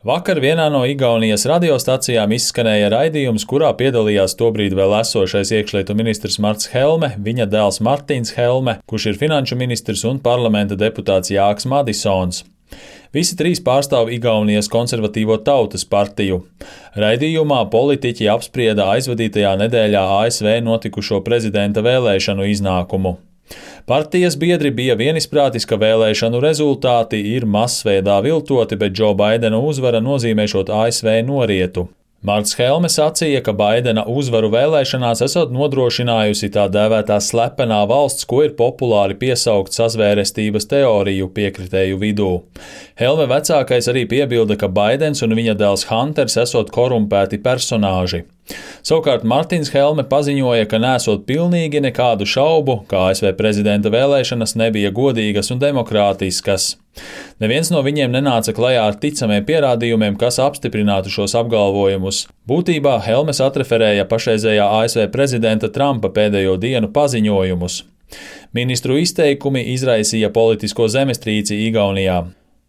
Vakar vienā no Igaunijas radiostacijām izskanēja raidījums, kurā piedalījās tobrīd vēl esošais iekšlietu ministrs Marts Helme, viņa dēls Martins Helme, kurš ir finanšu ministrs un parlamenta deputāts Jāks Madisons. Visi trīs pārstāv Igaunijas konservatīvo tautas partiju. Raidījumā politiķi apsprieda aizvadītajā nedēļā ASV notikušo prezidenta vēlēšanu iznākumu. Partijas biedri bija vienisprātis, ka vēlēšanu rezultāti ir masveidā viltoti, bet Džo Baidena uzvara nozīmēšot ASV norietu. Marts Helme sacīja, ka Baidena uzvaru vēlēšanās esot nodrošinājusi tā dēvētā slepenā valsts, ko ir populāri piesaukt sazvērestības teoriju piekritēju vidū. Helme vecākais arī piebilda, ka Baidens un viņa dēls Hunters esot korumpēti personāži. Savukārt Martins Helme paziņoja, ka nesot pilnīgi nekādu šaubu, ka ASV prezidenta vēlēšanas nebija godīgas un demokrātiskas. Neviens no viņiem nenāca klajā ar ticamiem pierādījumiem, kas apstiprinātu šos apgalvojumus. Būtībā Helmes atreferēja pašreizējā ASV prezidenta Trumpa pēdējo dienu paziņojumus. Ministru izteikumi izraisīja politisko zemestrīci Igaunijā.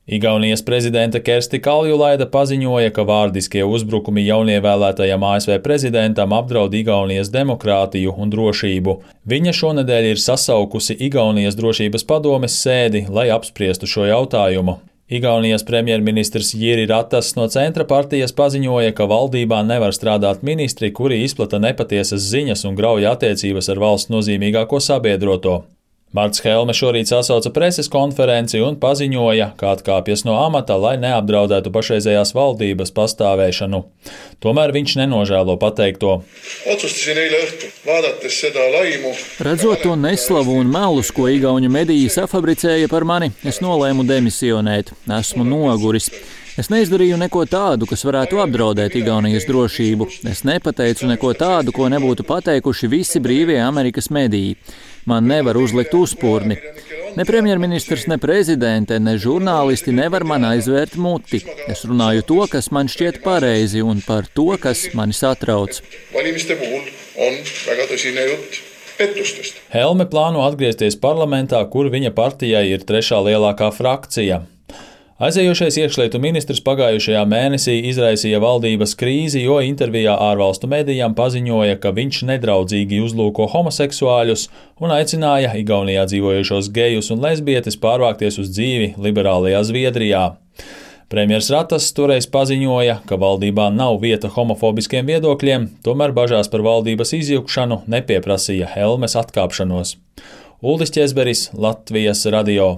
Igaunijas prezidente Kersti Kaljulaida paziņoja, ka vārdiskie uzbrukumi jaunievēlētajam ASV prezidentam apdraud Igaunijas demokrātiju un drošību. Viņa šonedēļ ir sasaukusi Igaunijas drošības padomes sēdi, lai apspriestu šo jautājumu. Igaunijas premjerministrs Jiri Ratas no Centra partijas paziņoja, ka valdībā nevar strādāt ministri, kuri izplata nepatiesas ziņas un grauj attiecības ar valsts nozīmīgāko sabiedroto. Marts Helme šorīt sasauca preses konferenci un paziņoja, ka atkāpjas no amata, lai neapdraudētu pašreizējās valdības pastāvēšanu. Tomēr viņš nenožēlo pateikto. Redzot to neslavu un melus, ko igauņu mediji safabricēja par mani, es nolēmu demisionēt. Esmu noguris. Es neizdarīju neko tādu, kas varētu apdraudēt Igaunijas drošību. Es nepateicu neko tādu, ko nebūtu pateikuši visi brīvie Amerikas mediji. Man nevar uzlikt uzpurni. Ne premjerministrs, ne prezidente, ne žurnālisti nevar man aizvērt muti. Es runāju to, kas man šķiet pareizi, un par to, kas mani satrauc. Helme plāno atgriezties parlamentā, kur viņa partijai ir trešā lielākā frakcija. Aizējošais iekšlietu ministrs pagājušajā mēnesī izraisīja valdības krīzi, jo intervijā ārvalstu medijām paziņoja, ka viņš nedraudzīgi uzlūko homoseksuāļus un aicināja Igaunijā dzīvojušos gejus un lesbietes pārvākties uz dzīvi liberālajā Zviedrijā. Premjers Ratas toreiz paziņoja, ka valdībā nav vieta homofobiskiem viedokļiem, tomēr bažās par valdības izjukšanu nepieprasīja Helmes atkāpšanos. Uldis Ķezberis, Latvijas radio.